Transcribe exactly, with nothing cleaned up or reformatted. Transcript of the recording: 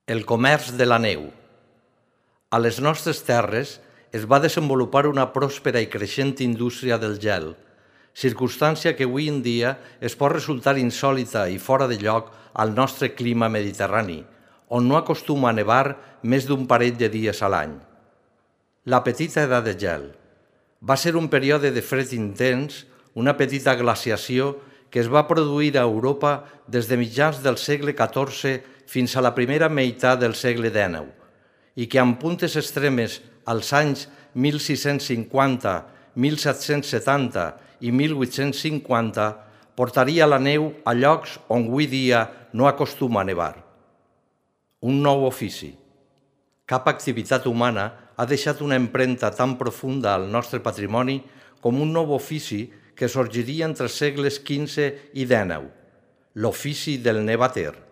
El comerç de la neu. A les nostres terres es va desenvolupar una pròspera i creixent indústria del gel, circumstància que avui en dia es pot resultar insòlita i fora de lloc al nostre clima mediterrani, on no acostuma a nevar més d'un parell de dies a l'any. La petita edat de gel va ser un període de fred intens, una petita glaciació que es va produir a Europa des de mitjans del segle catorze fins a la primera meitat del segle dinou, i que amb puntes extremes als anys mil sis-cents cinquanta, mil set-cents setanta i mil vuit-cents cinquanta portaria la neu a llocs on avui dia no acostuma a nevar. Un nou ofici. Cap activitat humana ha deixat una empremta tan profunda al nostre patrimoni com un nou ofici que sorgiria entre els segles quinze i dinou, l'ofici del nevater.